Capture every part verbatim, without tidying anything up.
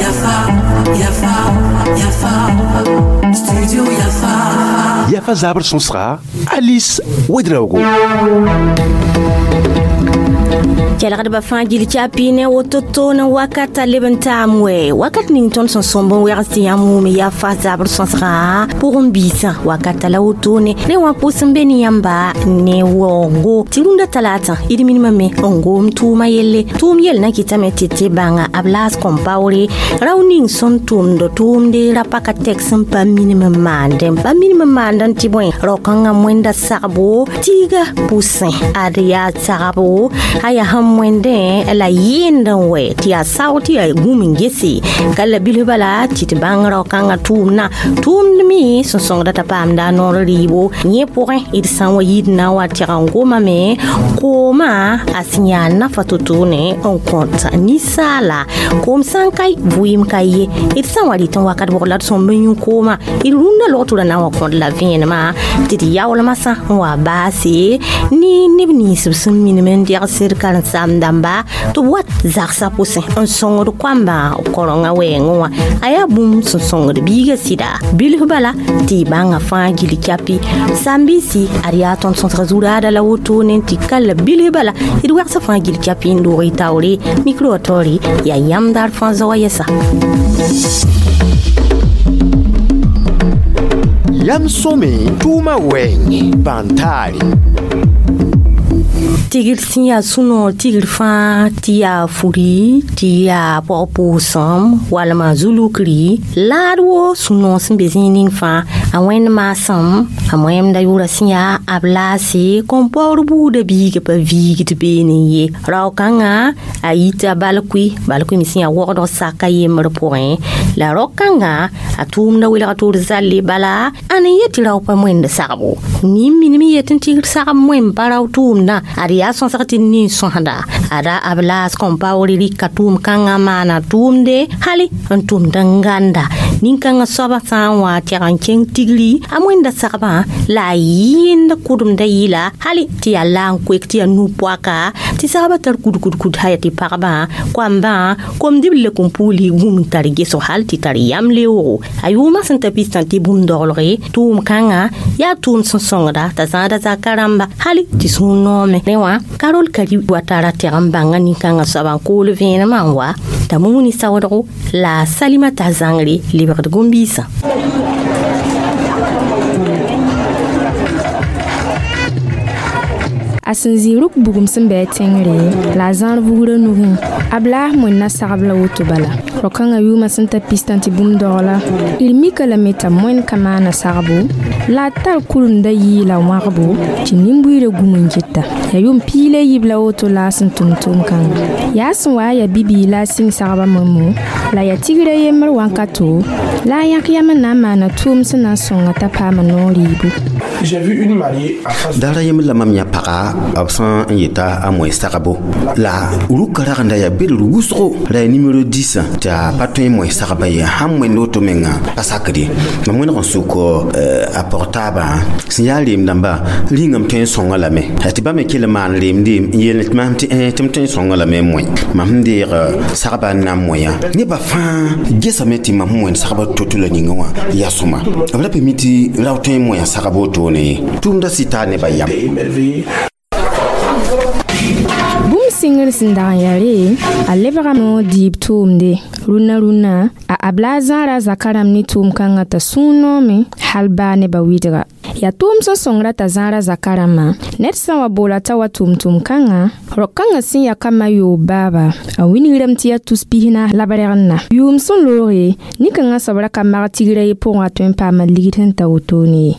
Yafa, Yafa, Yafa, Studio Yafa. Yafa zabr sõsga Alice Ouedraogo. Kɛlgdbã fãa gil tɩ ne woto toone wakata leb n taam wɛ wakat ning tõnd sẽn sõmb n wɛgs tɩ yãmb wʋm yaa fa zabr sõsgã pʋgẽ biisã wakata la wotone ne wã pʋs n be ne yãmba ne waoongo tɩ rũndã talaatã d minimame n gom tʋʋmã yelle tʋʋm yell na kɩtame tɩ tɩ bãnga b laas kõmpaoore rao ning sẽn tʋmd tʋʋmde ra paka tɛk sẽn pa minim n maandẽ pa minim n maandẽ tɩ bõe rao-kãngã wẽnda sagbo tiiga pʋsẽ ad yaa sagbo a yaa sẽn wẽndẽ la yɩɩnd n wɛ tɩ yaa sao tɩ yaa gũm n gese ka la bilf bala tɩ tɩ bãng rao-kãngã tʋʋmdã tʋʋmd me sẽn sõngda t'a paamda a noor rɩɩbo yẽ pʋgẽ d sã n wa yid na n wa tɛg n gomame koomã a sẽn yaa nafa to-to-ne n kõt ninsaala koom sã n ka vɩɩm ka ye d sã n wa rɩt n wakat bʋg la d sõmb n yũ koomã d rũndã logtora na n wa kõt la vẽenemã tɩ d yaoolmã sã n wa baase ne neb nins b sẽn minim n degsd karen-saam dãmba tɩ b wat zagsã pʋsẽ n sõngd koambã korengã wɛɛngẽ wã a yaa bũmb sẽn sõngd biigã sɩda bilf bala tɩ y bãngã fãa gil kyapi sãn-biisi ad yaa tõnd sõsga zu-raada la wotone tɩ ka la bilf bala d wɛgsã fãa gil kyapi n doog y taoore mikro wã taoore yaa yãmb daar fãa zaoã yɛsa. Yam sõme tʋʋmã wɛɛngẽ bãn-taare. Tigr sẽn yaa sũ-noor tigr fãa tɩ yaa furi tɩ yaa pɔg-pʋʋsem walma zulukri laad wo sũ-noog sẽn be zĩig ning fãa a wẽnd maasem a moẽmda yʋʋra sẽn yaa b laase kõn-paoor buudã biigã pa viigd beene ye rao-kãngã a yita balkʋɩ balkʋɩ me sẽn yaa wogdg saka yembr pʋgẽ la rao-kãngã a tʋʋmda welg toor zalle bala ãn n yet tɩ rao pa moẽnd sagbo nin minim yet n tigr sagb moẽm pa rao tʋʋmdã ad yaa sõsg tɩ nin sõsda ada b laas kõn-paoore rɩka tʋʋm-kãngã maana tʋʋmde hali n tʋmd n gãnda nin-kãngã soabã sã n wa tɛg n kẽng tigri a wẽnda sagbã la a yɩɩnd kʋdemda yɩla hali tɩ yaa la n koek tɩ yaa nu-poaka tɩ sagbã tar kudkudkud haya tɩ pagba koambã kom-dib lek n puuli gũm n tar gesg hal tɩ tar yam leoogo a yʋʋmã sẽn ta pistã tɩ bũmb doglge tʋʋm-kãngã yaa tʋʋm sẽn sõngda t'a zãada zaka rãmba hali tɩ sũur noome ne wã Karol Kari wa tara tɛg n bãnga nin-kãngã soabã n kool vẽenemã n wa t'a mumuni saoodgo la Salimata zãngre lebgd gom-biisã. A sẽn zĩ rʋk bugum sẽn bɩ a tẽngre la a zãr vugrã nugẽ a b laas moenna sagb la woto bala rao-kãngã yʋʋmã sẽn ta pistã tɩ bũmb dogla d mika lame t'a moen ka maana sagbo la a tar kuremda yɩɩla wãgbo tɩ nin-buiidã gum n geta yaa yʋʋm piig la a yiib la woto la a sẽn tʋm tʋʋm-kãnga yaa sẽn wa a yaa bibiig la a sɩng sagbã moemo la yaa tigrã yembr wãnkato la a yãk yam n na n maana tʋʋm sẽn na n sõnga t'a paama noor rɩɩbo. Daara yembr la mam yã paga b sẽn n yeta a moe sagbo la rʋka ragenda yaa bel wʋsgo la yaa nimero dix tɩ a pa tõe n moe sagbã ye sãn moend woto menga pa sakd ye mam wẽneg n sʋk a pɔg taabã sẽn yaa reem dãmba rĩngame tõe n sõnga lame tɩ ba me kell n maan reemde n yeel tɩ maam tɩ tɩ m tõe n sõnga lame n moe mam sẽn deeg sagbã n na n moeã nebã fãa gesame tɩ mam sẽn moend sagbã to-to la ninga wã yaa sõma b ra pa mi tɩ rao tõe n moea sagb wotone ye tʋʋmda sɩ taa nebã yam. Bũmb sɩngr sẽn dag n yaa re a lebgame n dɩɩb tʋʋmde rũnna rũnnã a abla a zãara zaka rãmb ne tʋʋm-kãngã t'a sũur noome hal baa nebã wɩdga yaa tʋʋm sẽn sõngra t'a zãara zaka rãmbã ned sã n wa boola t'a wa tʋʋm tʋʋm-kãngã rao-kãngã sẽn ya kambã yoob baaba a wilgrame tɩ yaa tus pisna la b rẽgenna yʋʋm sẽn looge nin-kãngã soab ra ka mag tigrã ye pʋgẽ a tõe n paama ligd sẽn ta wotone ye.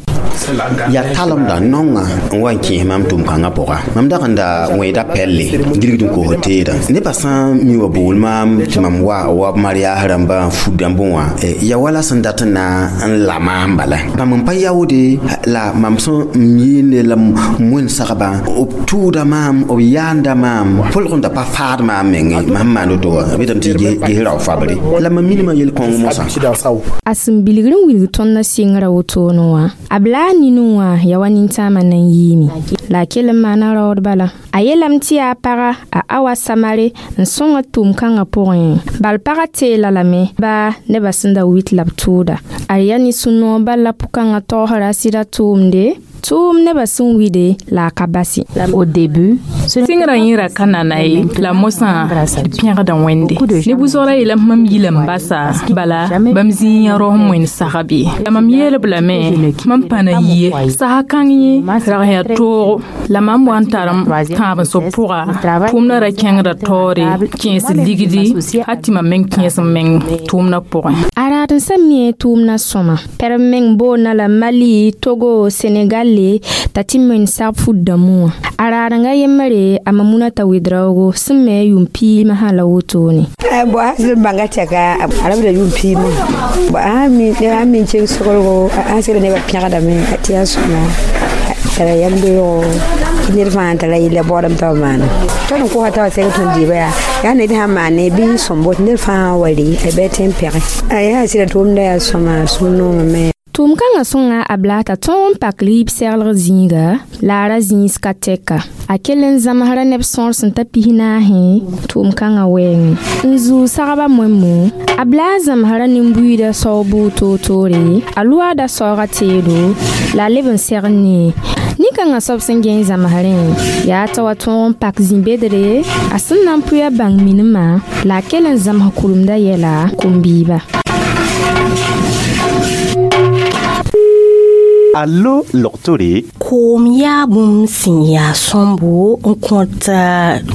Yaa talemda naongã n wa n kẽes mam tʋʋm-kãngã pʋga mam dag n da wẽeda pɛlle gilgd n kos teedã nebã sã n mi wa bool maam tɩ mam wa wa b mariaas rãmba n fut dãmbẽ wã ya wala sẽn dat n na n la maam bala bãmb n pa yaoode la mam sẽn n yeende la moen sagbã b tʋʋda maam b yaanda maam pʋlg n da pa faad maam menge mam maan woto wã b yetame tɩ ges rao fabre la mam minimã yel-kõng mosã. A sẽn bilgr n wilg tõndã sɩngrã wotone wã a b laas A ninu wã ya wa nintãamã na n yiime la a kell n maana raood bala a yeelame tɩ yaa paga a Awa Samare n sõnga tʋʋm-kãngã pʋgẽ bal pagã teela lame baa nebã sẽn da wit la b tʋʋda a yaa ne sũ-noog bal la pʋ-kãngã tagsra a sɩda tʋʋmde tʋʋm nebã sẽn wide la a ka basi. Au début, sɩngrã yẽra ka nana ye la mosã d pẽgda wẽnde ne bʋsgra yeelame mam yila n basa bala bãmb zĩig yã rao n wẽnd sagb ye la mam yeelb lame mam pa na yie sasa kãng yẽ rag yaa toogo la mam wa n tarem tãab n sob pʋga tʋʋmdã ra kẽngda taoore kẽes ligdi hal tɩ mam meng kẽes n meng tʋʋmdã pʋgẽ. A raad n sã mi tʋʋmdã sõma pɛrem meng boonna la Mali, Togo, Senegal t'a tɩ moen sag fut dãmbẽ wã a raadengã yembre a Mamunata Wedraogo sẽn me a yʋʋm piimã sã la wotone. Bo a sẽn bãnga tɛka a rabda yʋʋm piimã bo a sãn min keng soglgo a sẽn nebã pẽgdame tɩ yaa sõma tara yam beoogo tɩ ned fãa tara yella baoodame t'a b maana tõnd n kosa t'a wa sɛg tõnd dɩɩba yaa yaa ned sãn maane bɩ sõmbo tɩ ned fãa wa rɩ a bɩ tẽ n pẽge a yaa sɩda tʋʋmda yaa sõma sũ-noomame. Tʋʋm-kãngã sõnga a Blata tõog n pak rɩɩb seglg zĩiga la a ra zĩis ka tɛka a kell n zãmsra neb sõor sẽn ta pis naasẽ tʋʋm-kãngã wɛɛngẽ n zuu sagbã moẽmo a Bla zãmsra nin-buiidã sao bʋʋg toor-toore a loaada saooga teedo la a leb n segd ne nin-kãngã soab sẽn gẽe zãmsrẽ yaa t'a wa tõog n pak zĩ-bedre a sẽn na n pʋɩ a bãng minimã la a kell n zãms kuremdã yɛla kom-biiba. Allo logtore. Koom yaa bũmb sẽn yaa sõmbo n kõt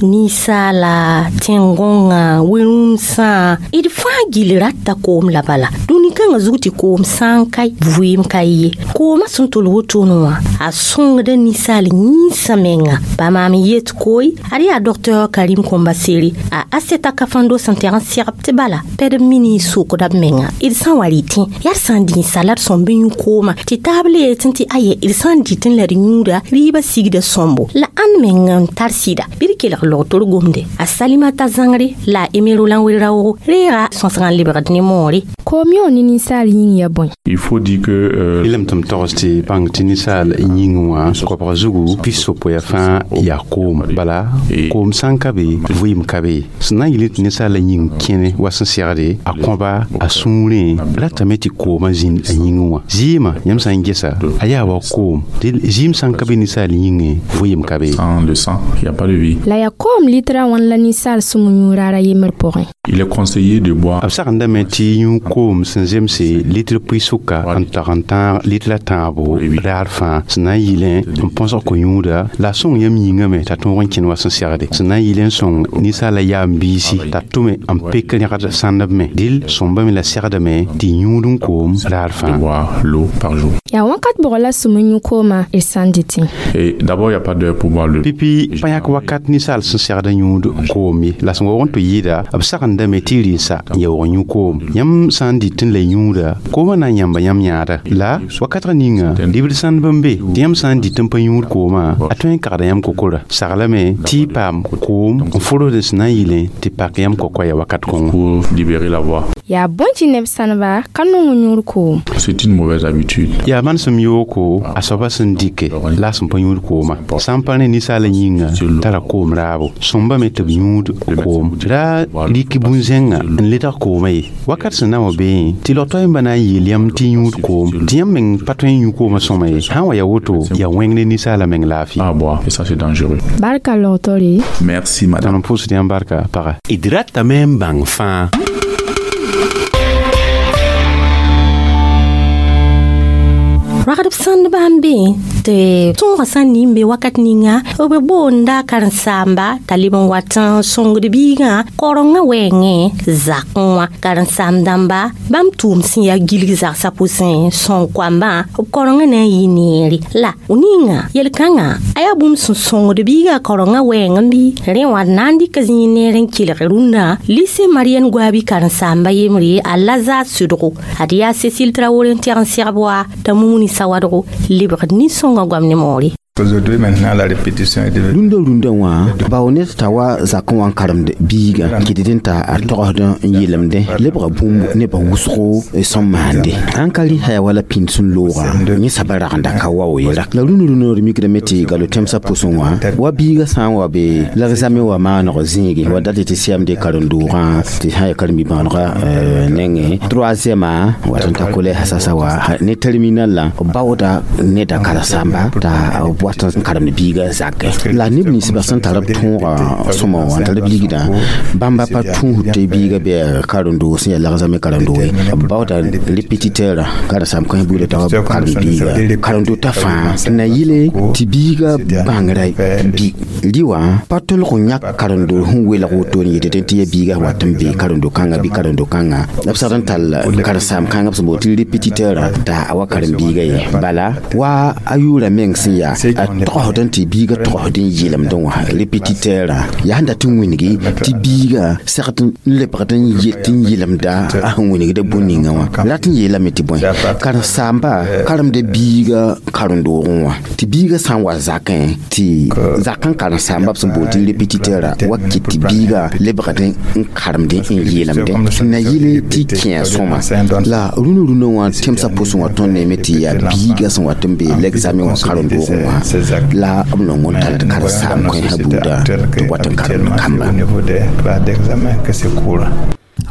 ninsaala tẽn-gõngã we-rũmsã d fãa gill rata koom la bala dũni kãngã zug tɩ koom sã n ka vɩɩm ka ye koomã sẽn tol wotone wã a sõngda ninsaal yĩnsã menga pa maam yet koe ad yaa docteur Karim Kombasere a Aseta Kafando sẽn tɛg n segb tɩ bala pɛd mini sokda b menga d sã n wa rɩtẽ yaa d sã n dĩ sala d sõmb yũ koomã tɩ taab le tɩ tɩ aye d sã n dɩtẽ la d yũuda rɩɩbã sigda sõmbo la ãnd meng n tar sɩda bɩ d kelg logtor gomde a Salimata Zãngre la a Emero la n wel-raoogo reega sõsgã n lebgd ne moore. Koom yõ ne ninsaal yĩng ya bõe? Il faut dire que euh, Ilem tɩ m togs tɩ bãng tɩ ninsaal yĩng wã koabg zugu pis-yopoe fãa yaa koom bala koom sã n ka be vɩɩm ka be sẽn na n yɩl tɩ ninsaala yĩng kẽne wa sẽn segde a kõba a sũurẽ ratame tɩ koomã zĩnd a yĩngẽ wã zɩɩmã yãmb sã n gesa a yaa wa koom tɩ zɩɩm sã n ka be ninsaal yĩngẽ vɩɩm ka be. Sans le sang, il n'y a pas de vie. La yaa koom litra wãn la ninsaal sũm yũur raara yembr pʋgẽ. Il est conseillé de boire B sagendame tɩ yũ koom sẽn zemse litr pʋɩ-sʋka n tag n tãag litra tãabo raar fãa sẽn na n yɩlẽ n põsg ko-yũuda la a sõng yam yĩngame t'a tõog n kẽn wa sẽn segde sẽn na n yɩl n sõng ninsaala yaam-biisi t'a tʋme n pek rẽgd sãndb me dɩl sõmbame la segdame tɩ yũud n koom raar de fãa. boire l'eau par jour. Yaa wãnkat bʋg la sũm n yũ koomã d sã n dɩtẽ. Et d'abord, il n'y a pas d'heure pour boire l'eau. Pipi pa yãk wakat ninsaal sẽn segd yũud koom ye la sẽn waoog n tɩ yɩɩda b sagendame tɩ rɩnsa n yaoog yũ koom yãmb sã n dɩtẽ la yũuda koomã na n yãmba yãmb yãada la wakatg ninga libd sãndb n be tɩ yãmb sã n dɩt n pa yũud koomã a tõe n kagda yãmb kokora saglame tɩ y paam koom n fʋrd sẽn na n yɩlẽ tɩ pak yãmb kokoya wakat kõngo. Pour libérer la voix. Yaa bõe tɩ neb sãneba ka nong n yũud koom? C'est une mauvaise habitude. Yaa manesem yooko a soaba sẽn dɩke la a sẽn pa yũud koomã sã n pa ne ninsaala yĩnga tara koom raabo sõmbame tɩ b yũud koom ra rɩk bũn-zẽngã n ledg koomã ye wakat sẽn na n wa beẽ tɩ log-toaemba na n yeel yãmb tɩ yũud koom tɩ yãmb meng pa tõe n yũ koomã sõma ye sã n wa ya woto yaa wẽng ne ninsaala meng laafɩ. À boire, et ça c'est dangereux. Barka logtore. Merci madame. Tõnd n pʋʋsd yãmb barka paga. D ratame n bãng fãa. Ragdb sãndbã n be tɩ tõogã sã n ning be wakat ninga b boonda karen-saamba t'a leb n wat n sõngd biigã korengã wɛɛngẽ zakẽ wã karen-saam dãmba bãmb tʋʋm sẽn yaa gilg zagsã pʋsẽ sõng koambã b korengã na n yɩ neere la ninga yel-kãngã a yaa bũmb sẽn sõngd biigã korengã wɛɛng n bɩ rẽ wã d na n dɩka zĩig neer n kelg rũnnã lycée Marianne Goabi karen-saamba yembre a Lazare sʋdgo ad yaa Cécile Traoré n tɛg n segb wa t'a Mumuni Sawadgo lebgd nin-sõngã goam ne moore. Aujourd'hui, maintenant, la répétition est devenue. Rũndã rũndã wã bao ned t'a wa zakẽ wã n karemd biigã kɩtd t'a a togsd n yelemdẽ lebga bũmb nebã wʋsgo sẽn maande sãn ka rɩ yaa wala pĩnd sẽn looga yẽ saba ragenda ka wao ye la rũnd rũndã d mikdame tɩ galo tẽmsã pʋsẽ wã wa biigã sã n wa be l'examen wa maaneg zĩige wa dat tɩ C M D karen-doogã tɩ sã n yaa karen-bi-bãonegã nengẽ troisième wat n ta collège sasa wa ne terminal la b baooda neda karen-saamba t'a b wat n karemd biigã zakɛ la neb ninsbã sẽn tar b tõoga sõma wã n tar b ligdã bãmba pa tũusd tɩ biigã bɩ karen-doog sẽn yaa l'examen karen-doog ye b baooda répétiteur karen-saam kãens buudã t'a wa karem biiga karen-doog t'a fãa n na yɩle tɩ biigã bãngrã bɩ rɩ wã pa tolg n yãk karen-doog sẽn welg woto n yetɩ tɩ yaa biigã wat n be karen-do kãnga bɩ karen-do kãnga b sagd n tall karen-saam kãngã b sẽn boond tɩ répétiteur t'a a wa karen-biigã ye bala wa a yʋʋra meng sẽn yaa a togsd n tɩ biigã togsd n yelemdẽ wã répétiteur yaa sẽn dat n wĩngi tɩ biigã segd n lebgd n yet n yelemda a sẽn wĩnigda bũn-ninga wã rat n yeelame tɩ bõe karen-saamba karemda biigã karen-doogẽ wã tɩ biigã sã n wa zakẽ tɩ zakã karen-saamba b sẽn boond tɩ répétiteur wa kɩt tɩ biigã lebgd n karemdẽ n yeelemdẽ n na yɩle tɩ kẽ sõma la rũnã rũnã wã tẽmsã pʋsẽ wã tõnd neeme tɩ yaa biigã sẽn wat n be l'examen wã karen-doogẽ wã la b nong n tall karen-saam kãensã buuda tɩ b wat n karemd kamba. Au niveau des classes d'examen que c'est courant.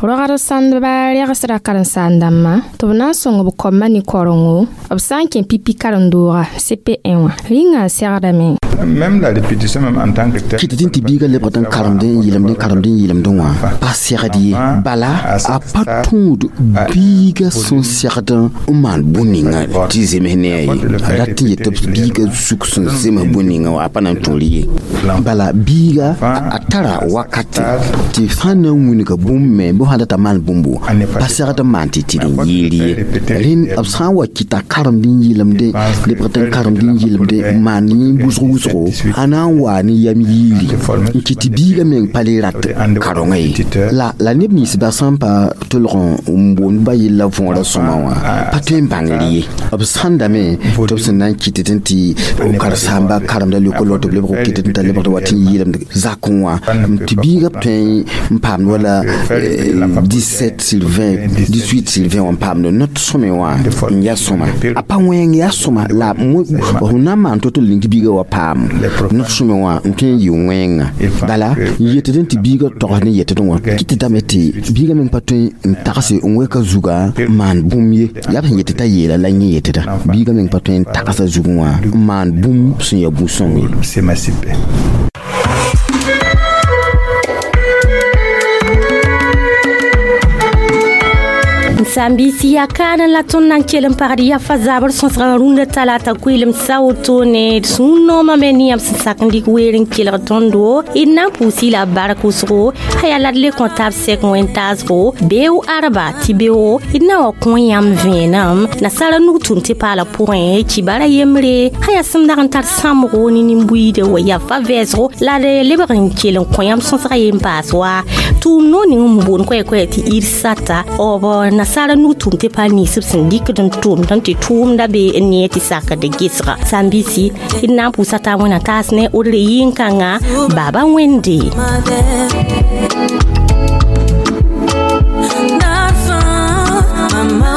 Rogd sãndba regsda karen-saam-dãmbã tɩ b na n sõng b koamã ne korengo b sã n kẽ pipi karen-dooga C P un wã rĩngã segdame. Même la répétition même en tant que telle. Kɩt tɩ biigã lebgd n karemd n yelemd n karemd n yelemdẽ wã pa segd ye bala a pa tũud biigã sẽn segd n maan bũn-ninga tɩ zems ne a ye a rat n yetɩ biigã zug sẽn zems bũn-ninga wã a pa na n tõr ye bala biiga a tara wakate tɩ sã n na n wilga bũmb me bɩ sã data maan bũmbo pa segd n maan tɩ tɩd n yeel ye rẽnd b sã n wa kɩta karemd n yelemdẽ lebgd n karemd n yelemdẽ n maan yẽ wʋsg wʋsgo a na n waa ne yam yiiri n kɩt tɩ biigã meng pa le rat karongã ye la la neb ninsbã sã n pa tolg n boond ba yella võorã sõma wã pa tõe n bãngr ye b sãndame tɩ b sẽn na n kɩtd n tɩ karen-saamba karemda lekol tɩ b lebg kɩtd n t'a lebgd wa tɩ n yeelemd zakẽ wã tɩ biigã b tõe n paamd wala dix-sept sur vingt, dix-huit sur vingt wã n paamd not sõme wã n yaa sõma a pa wẽng yaa sõma la f na n maan to-to ning biigã wa paam not sõme wã n tõe n yɩ wẽnga bala n yetd n tɩ biigã togsd n yetd wã kɩtdame tɩ biigã meng pa tõe n tagse n wɛka zuga n maan bũmb ye yaa b sẽn yetɩ t'a yeela la yẽ yetda biigã meng pa tõe n tagsa zugẽ wã n maan bũmb sẽn yaa bu-sõng ye. S'émanciper. Sãn-biisi yaa kaana la tõnd na n kell n pagd yafa zabr sõsgã rũndã talata koeelem sa wotone d sũ-noomã me ne yãmb sẽn sak n dɩk weer n kelg tõndo d na n pʋʋs-y la bark wʋsgo a yaa la d le kõ tab sɛk wẽn-taasgo beoog arba tɩ beoogo d na wa kõ yãmb vẽenem nasara nug tʋm tɩ paala pʋgẽ kibara yembre a yaa sẽn dag n tar sãmbgo ne nin-buiide wa yafa vɛɛsgo la d lebg n kell n kõ yãmb sõsga yen paas wa tʋʋm noog ning n boond koɛ-koɛ tɩ ir sata b nasara nug tʋm tɩ pa ninsb sẽn dɩkd n tʋmd n tɩ tʋʋmda be n nee tɩ sakd gesga sãn-biisi d na n pʋʋsa taa wẽna taas ne odre yɩn-kãngã baaba wẽnde. Nafa, mama.